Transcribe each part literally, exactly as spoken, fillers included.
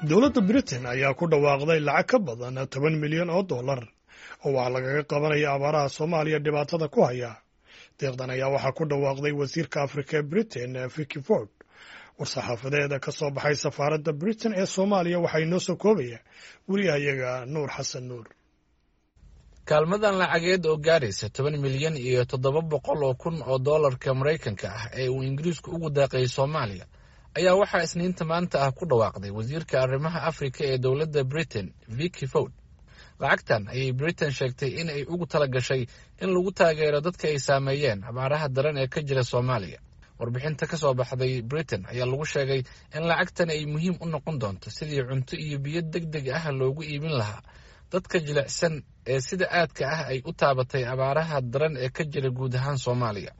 Dowladda Britain ayaa ku dhawaaqday lacag ka badan toban milyan oo dollar oo waxaa lagaga qabanaya abaaraha Soomaaliya dhibaatada ku haya. Deeqdan ayaa waxaa ku dhawaaqday wasiirka Afrika ee Britain, Vicky Ford. War-saxaafadeeda ka soo baxay safaaradda Britain ee Soomaaliya waxaa inoo soo koobaya wariyahayaga Nuur Xasan Nuur. Kaalmadan lacageed oo gaaraysa toban milyan iyo toddoba boqol oo kun oo doolarka Maraykanka ah ee uu Ingiriisku ugu deeqay Soomaaliya ayaa waxaa Isniinta maanta ah ku dhawaaqday wasiirka arrimaha Afrika ee dowladda Britain, Vicky Ford. Lacagtan ayay Britain sheegtay in ay ugu tala gashay in lagu taageero dadka ay saameeyeen abaaraha daran ee ka jira Soomaaliya. Warbixinta ka soo baxday Britain ayaa lagu sheegay in lacagtan ay muhiim u noqon doonto sidii cunto iyo biyo deg deg ah loogu iibin lahaa dadka jilicsan ee sida aadka ah ay u taabatay abaaraha daran ee ka jira guud ahaan Soomaaliya.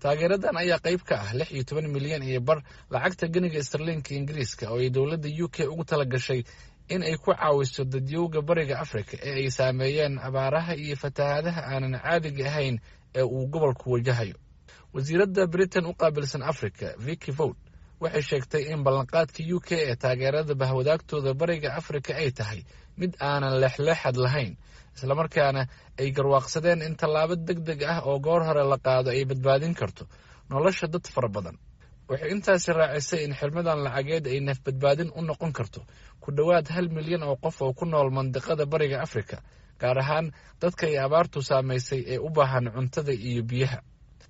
Taageeradan ayaa qayb ka ah lix iyo toban milyan iyo bar lacagta geniga istarliinka Ingiriiska oo ay dowladda U K ugu tala gashay in ay ku caawiso dadyowga Bariga Afrika ee ay saameeyeen abaaraha iyo fatahaadaha aanan caadiga ahayn ee uu gobolku wajahayo. Wasiiradda Britain u qaabilsan Africa, Vicky Ford, waxay sheegtay in ballanqaadka U K ee taageerada bahwadaagtooda Bariga Afrika ay tahay mid aanan leexleexad lahayn, islamarkaana ay garwaaqsadeen in tallaabo deg deg ah oo goor hore la qaado ay badbaadin karto nolosha dad fara badan. Waxay intaasi raacisay in xirmadan lacageed ay nafbadbaadin u noqon karto ku dhowaad hal milyan oo qof oo ku nool mandiqada Bariga Afrika, gaar ahaan dadka ay abaartu saamaysay ee u baahan cuntada iyo biyaha.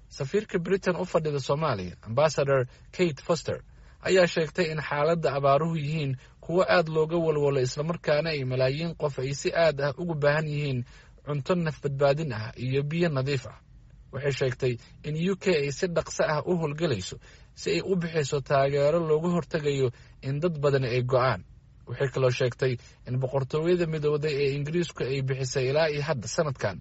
Safiirka Britain u fadhida Soomaaliya, Ambasador Kate Foster, ayaa sheegtay in xaaladda abaaruhu yihiin kuwo aad looga walwalo, islamarkaana ay malaayiin qof ay si aad ah ugu baahan yihiin cunto nafbadbaadin ah iyo biyo nadiif ah. Waxay sheegtay in U K ay si dhaqso ah u howlgelayso si ay u bixiso taageero looga hortegayo in dad badan ay go'aan. Waxay kaloo sheegtay in Boqortooyada Midowday ee Ingiriisku ay bixisay ilaa iyo hadda sanadkan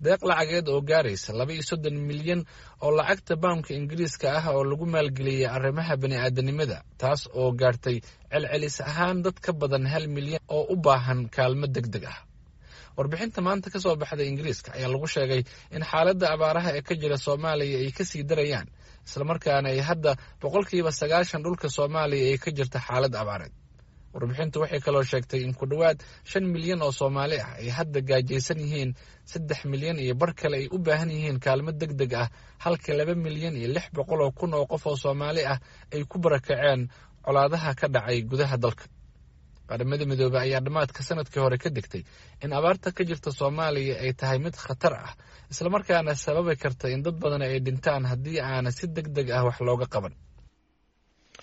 deeq lacageed oo gaaraysa laba iyo soddon milyan oo lacagta baamka Ingiriiska ah oo lagu maalgeliyey arrimaha bani'aadanimada, taas oo gaartay celcelis ahaan dad ka badan hal milyan oo u baahan kaalmo deg deg ah. Warbixinta maanta ka soo baxday Ingiriiska ayaa lagu sheegay in xaaladda abaaraha ee ka jira Soomaaliya ay kasii darayaan, islamarkaana ay hadda boqolkiiba sagaashan dhulka Soomaaliya ay ka jirta xaalad abaareed. Warbixintu waxay kaloo sheegtay in ku dhowaad shan milyan oo Soomaali ah ay hadda gaajaysan yihiin, saddex milyan iyo bar kale ay u baahan yihiin kaalmo deg deg ah, halka laba milyan iyo lix boqol oo kun oo qof oo Soomaali ah ay ku barakaceen colaadaha ka dhacay gudaha dalka. Qaramada Midoobey ayaa dhammaadka sanadkii hore ka degtay in abaarta ka jirta Soomaaliya ay tahay mid khatar ah, islamarkaana sababi karta in dad badan ay dhintaan haddii aana si deg deg ah wax looga qaban.